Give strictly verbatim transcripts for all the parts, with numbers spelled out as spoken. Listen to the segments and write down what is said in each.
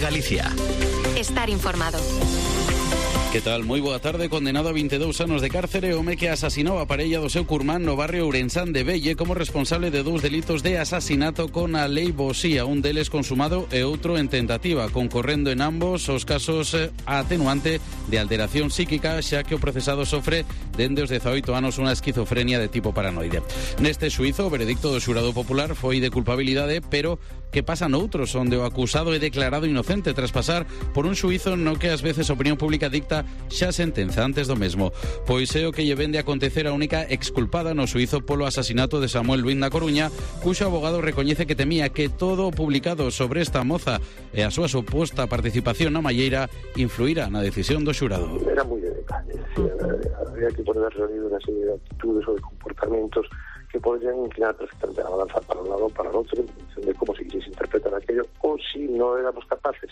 Galicia. Estar informado. Que tal? Moi boa tarde. Condenado a veintidós anos de cárcere, home que asasinou a parella do seu curmán no barrio Ourensán de Velle como responsable de dous delitos de asasinato con a lei Bosía, un deles consumado e outro en tentativa, concorrendo en ambos os casos a atenuante de alteración psíquica, xa que o procesado sofre dende os dezaoito anos unha esquizofrenia de tipo paranoide. Neste xuízo, o veredicto do xurado popular foi de culpabilidade, pero que pasa noutros onde o acusado é declarado inocente tras pasar por un xuízo no que ás veces a opinión pública dicta xa sentenza antes do mesmo. Pois é o que lle vende a acontecer a única exculpada no suizo polo asasinato de Samuel Luís na Coruña, cuxo abogado recoñece que temía que todo o publicado sobre esta moza e a súa suposta participación na malleira influíra na decisión do xurado. Era moi de detalle, había que poner reunido unha serie de actitudes ou de comportamentos que podrían inclinar perfectamente a balanza para un lado o para el otro, en función de cómo se quisiese interpretar aquello, o si no éramos capaces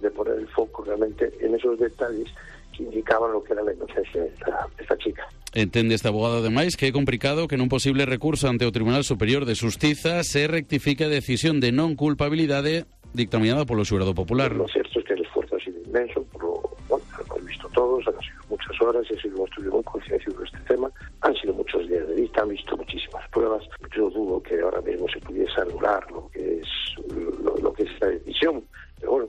de poner el foco realmente en esos detalles que indicaban lo que era la inocencia de esta, esta chica. Entende este abogado, ademais, que é complicado que nun posible recurso ante o Tribunal Superior de Xustiza se rectifique a decisión de non culpabilidade dictaminada polo xurado popular. Lo cierto es que el esfuerzo ha sido inmenso, por lo, bueno, lo hemos visto todos, han sido muchas horas, ha sido un estudio muy concienciado de este tema, han sido muchos días de vista, han visto muchísimas pruebas. Yo dudo que ahora mismo se pudiese anular lo que es, lo, lo que es la decisión, pero bueno,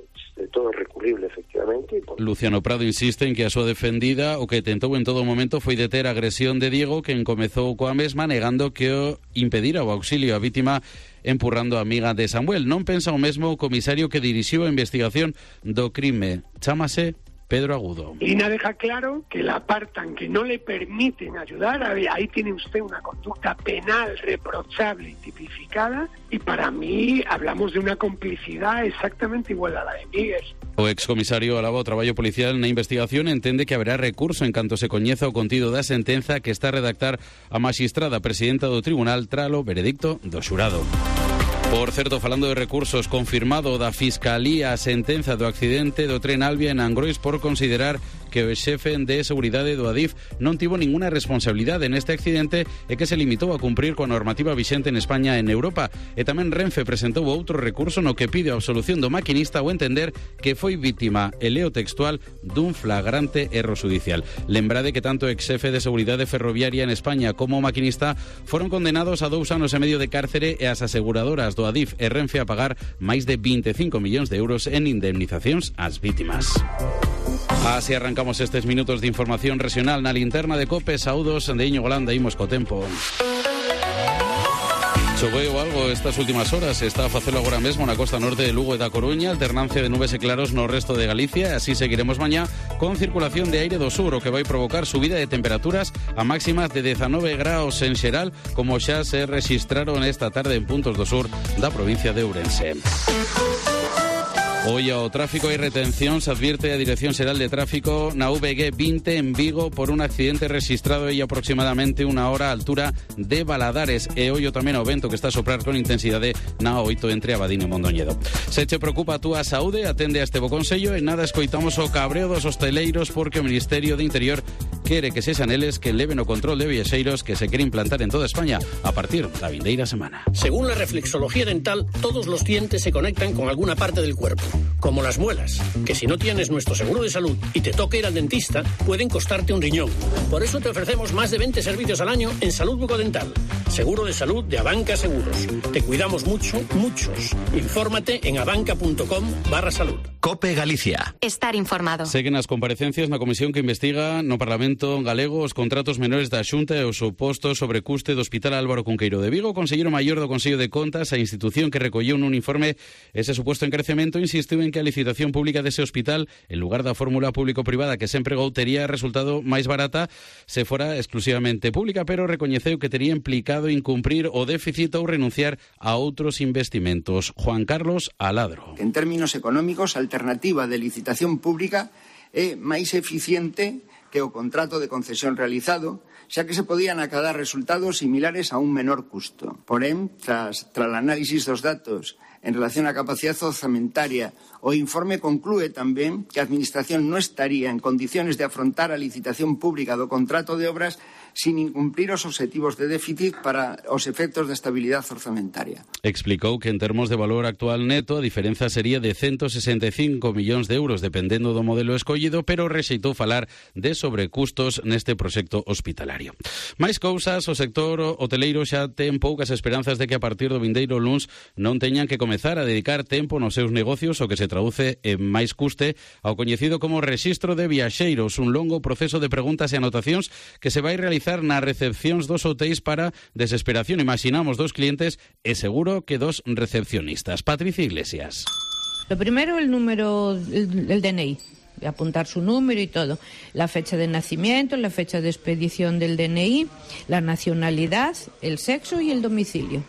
todo é recurrible, efectivamente. Por... Luciano Prado insiste en que a súa defendida o que tentou en todo momento foi deter a agresión de Diego, que encomezou coa mesma, negando que o impedira o auxilio á vítima, empurrando a amiga de Samuel. Non pensa o mesmo o comisario que dirixiu a investigación do crime. Chámase Pedro Agudo. Lina deja claro que la apartan, que no le permiten ayudar. Ahí tiene usted una conducta penal reprochable y tipificada, y para mí hablamos de una complicidad exactamente igual a la de Miguel. O excomisario alaba o traballo policial na investigación, entende que haberá recurso en canto se coñeza o contido da sentenza que está a redactar a maxistrada presidenta do tribunal tralo veredicto do xurado. Por certo, falando de recursos, confirmado da Fiscalía a sentenza do accidente do tren Albia en Angrois por considerar que o xefe de seguridade do Adif non tivo ninguna responsabilidade neste accidente e que se limitou a cumprir coa normativa vixente en España e en Europa. E tamén Renfe presentou outro recurso no que pide a absolución do maquinista ao entender que foi vítima, e leo textual, dun flagrante erro judicial. Lembrade que tanto o ex-xefe de seguridade ferroviaria en España como o maquinista foron condenados a dous anos e medio de cárcere e as aseguradoras do Adif e Renfe a pagar máis de veinticinco millóns de euros en indemnizacións ás vítimas. Así arrancamos estes minutos de información regional na linterna de COPE. Saúdos de Iñigo Golanda, imos co tempo. Choveu algo estas últimas horas, está a facelo agora mesmo na costa norte de Lugo e da Coruña, alternancia de nubes e claros no resto de Galicia, e así seguiremos mañá con circulación de aire do sur, o que vai provocar subida de temperaturas a máximas de dezanove graus en xeral, como xa se rexistraron esta tarde en puntos do sur da provincia de Ourense. Hoy ao tráfico hai retención, se advierte a Dirección Xeral de Tráfico na V G vinte en Vigo por un accidente registrado aí aproximadamente unha hora a altura de Baladares, e ollo tamén ao vento que está a soprar con intensidade na oito entre Abadín e Mondoñedo. Se che preocupa a túa saúde, atende a este bo consello e nada escoitamos o cabreo dos hosteleiros porque o Ministerio de Interior quere que sexan eles que leven o control de viaxeiros que se quere implantar en toda España a partir da vindeira semana. Según la reflexología dental, todos los dientes se conectan con alguna parte del cuerpo, como las muelas, que si no tienes nuestro seguro de salud y te toca ir al dentista, pueden costarte un riñón. Por eso te ofrecemos más de veinte servicios al año en salud bucodental. Seguro de salud de Abanca Seguros. Te cuidamos mucho, muchos. Infórmate en abanca.com barra salud. COPE Galicia. Estar informado. Seguen as comparecencias na comisión que investiga no Parlamento galego os contratos menores da Xunta e o suposto sobrecuste do Hospital Álvaro Cunqueiro de Vigo. O Conselleiro Maior do Consello de Contas, a institución que recolleu nun informe ese suposto encrecemento, insistiu en que a licitación pública dese hospital, en lugar da fórmula público-privada que sempre empregou, tería resultado máis barata se fora exclusivamente pública, pero recoñeceu que tería implicado incumprir o déficit ou renunciar a outros investimentos. Juan Carlos Aladro. En términos económicos, a alternativa de licitación pública é máis eficiente que o contrato de concesión realizado, xa que se podían acadar resultados similares a un menor custo. Porén, tras, tras o análisis dos datos en relación á capacidade orzamentaria, o informe conclúe tamén que a Administración non estaría en condiciones de afrontar a licitación pública do contrato de obras sin incumprir os obxectivos de déficit para os efectos de estabilidade orzamentaria. Explicou que en termos de valor actual neto a diferenza sería de ciento sesenta e cinco millóns de euros dependendo do modelo escollido, pero rexeitou falar de sobrecustos neste proxecto hospitalario. Máis cousas, o sector hoteleiro xa ten poucas esperanzas de que a partir do vindeiro luns non teñan que comezar a dedicar tempo nos seus negocios, o que se traduce en máis custe ao coñecido como rexistro de viaxeiros, un longo proceso de preguntas e anotacións que se vai realizar nas recepcións dos hotéis para desesperación, imaginamos, dos clientes e seguro que dos recepcionistas. Patricia Iglesias. Lo primero, el número, el, el D N I. Apuntar su número y todo. La fecha de nacimiento, la fecha de expedición del D N I, la nacionalidad, el sexo y el domicilio.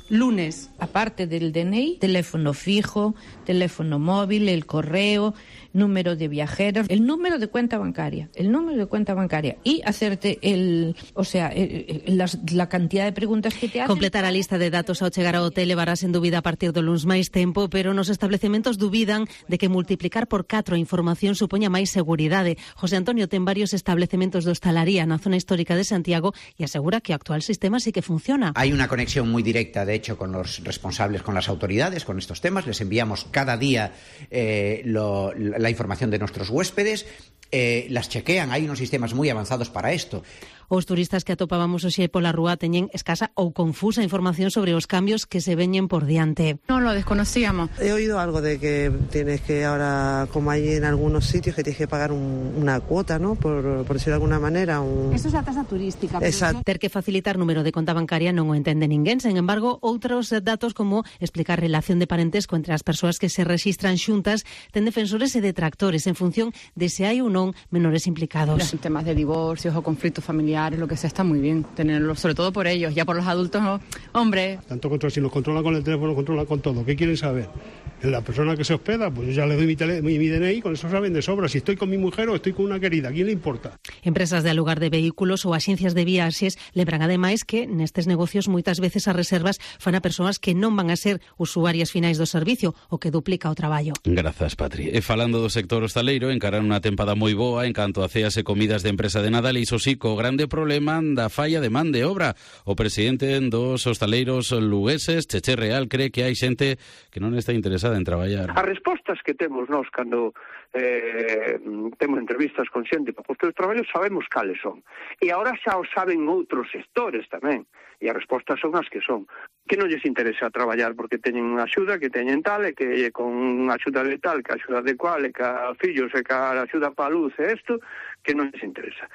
Lunes. Aparte del D N I, teléfono fijo, teléfono móvil, el correo, número de viajeros, el número de cuenta bancaria, el número de cuenta bancaria y hacerte el, o sea, el, el, las, la cantidad de preguntas que te hacen. Completar a lista de datos ao chegar ao hotel levarás en dúbida a partir do luns máis tempo, pero nos establecementos dubidan de que multiplicar por catro a información supoña máis seguridade. José Antonio ten varios establecementos de hostalaría na zona histórica de Santiago e asegura que o actual sistema sí que funciona. Hay una conexión muy directa, de hecho, con los responsables, con las autoridades, con estos temas. Les enviamos cada día eh, lo, la información de nuestros huéspedes, eh, las chequean, hay unos sistemas muy avanzados para esto. Os turistas que atopábamos hoxe pola rúa teñen escasa ou confusa información sobre os cambios que se veñen por diante. No lo desconocíamos. He oído algo de que tienes que ahora, como hay en algunos sitios, que tienes que pagar un, una cuota, ¿no? Por, por decirlo de alguna manera. Un... Eso es la tasa turística. Exacto. Ter que facilitar número de conta bancaria non o entende ninguén. Sen embargo, outros datos como explicar relación de parentesco entre as persoas que se rexistran xuntas ten defensores e detractores en función de se hai ou non menores implicados. Los temas de divorcios o conflictos familiares, lo que sea, está muy bien tenerlo, sobre todo por ellos, ya por los adultos, no, hombre. Tanto control, si nos controlan con el teléfono, controlan con todo. ¿Qué quieren saber? En la persona que se hospeda, pues yo ya le doy mi, tele, mi, mi D N I, con eso saben de sobra. Si estoy con mi mujer o estoy con una querida, ¿a quién le importa? Empresas de alugar de vehículos ou axencias de viaxes lembran ademais que nestes negocios moitas veces as reservas fan a persoas que non van a ser usuarias finais do servicio, o que duplica o traballo. Grazas, Patri. E falando do sector hostaleiro, encaran unha tempada moi boa en canto a ceas e comidas de empresa de Nadal, e iso sí, co grande problema da falla de man de obra. O presidente dos hostaleiros lugueses, Cheche Real, cree que hai xente que non está interesada en traballar. As respostas que temos nós cando eh, temos entrevistas con xente para postos de traballo sabemos cales son. E agora xa o saben outros sectores tamén. E as respostas son as que son. Que non lles interesa traballar porque teñen unha axuda, que teñen tal, e que con unha axuda de tal, que a axuda de cual, e que a fillos, e que a axuda para a luz, e isto, que non lles interesa.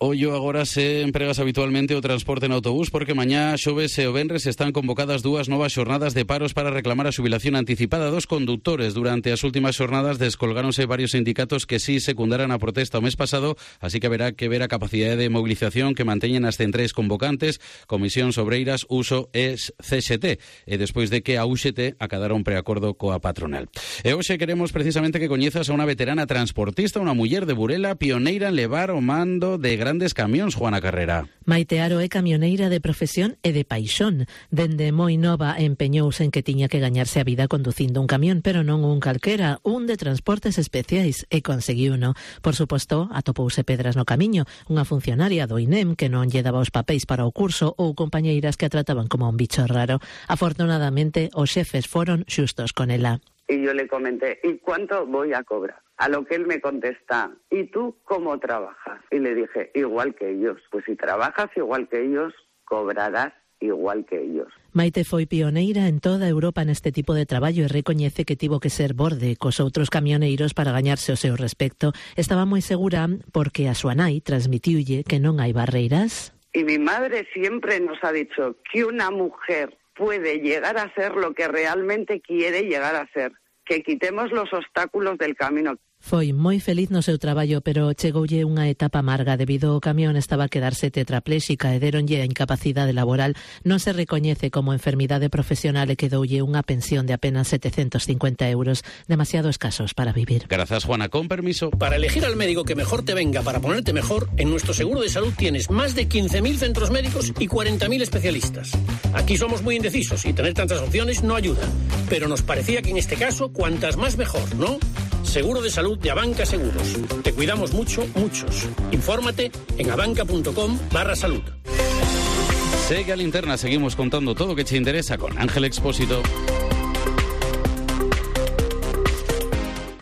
Ollo, agora se empregas habitualmente o transporte en autobús porque mañá, xoves e o venres están convocadas dúas novas xornadas de paros para reclamar a xubilación anticipada dos conductores. Durante as últimas xornadas descolgáronse varios sindicatos que sí secundaran a protesta o mes pasado, así que haberá que ver a capacidade de movilización que manteñen as centrais convocantes, Comisións Obreiras, Uso e C X T, e despois de que a U X T acadara un preacordo coa patronal. E hoxe queremos precisamente que coñezas a unha veterana transportista, unha muller de Burela, pioneira en levar o mando de gran grandes camións, Juana Carrera. Maite Aro é camioneira de profesión e de paixón. Dende moi nova empeñouse en que tiña que gañarse a vida conducindo un camión, pero non un calquera, un de transportes especiais, e conseguiuno. Por suposto, atopouse pedras no camiño, unha funcionaria do I N E M que non lle daba os papéis para o curso ou compañeiras que a trataban como un bicho raro. Afortunadamente, os xefes foron xustos con ela. Y yo le comenté, ¿y cuánto voy a cobrar? A lo que él me contesta, ¿y tú cómo trabajas? Y le dije, igual que ellos. Pues si trabajas igual que ellos, cobrarás igual que ellos. Maite foi pioneira en toda Europa neste tipo de traballo e recoñece que tivo que ser borde cos outros camioneiros para gañarse o seu respecto. Estaba moi segura porque a súa nai transmitiulle que non hai barreiras. Y mi madre siempre nos ha dicho que una mujer puede llegar a ser lo que realmente quiere llegar a ser, que quitemos los obstáculos del camino. Foi moi feliz no seu traballo, pero chegoulle unha etapa amarga debido ao camión estaba a quedarse tetrapléxica e deronlle a incapacidade laboral. Non se recoñece como enfermidade profesional e quedoulle unha pensión de apenas setecientos cincuenta euros, demasiado escasos para vivir. Gracias, Juana. Con permiso. Para elegir al médico que mejor te venga para ponerte mejor, en nuestro seguro de salud tienes más de quince mil centros médicos y cuarenta mil especialistas. Aquí somos muy indecisos y tener tantas opciones no ayuda, pero nos parecía que en este caso cuantas más mejor, ¿no? seguro de salud de Abanca Seguros. Te cuidamos mucho, muchos. Infórmate en abanca.com barra salud. Sigue a Linterna, seguimos contando todo lo que te interesa con Ángel Expósito.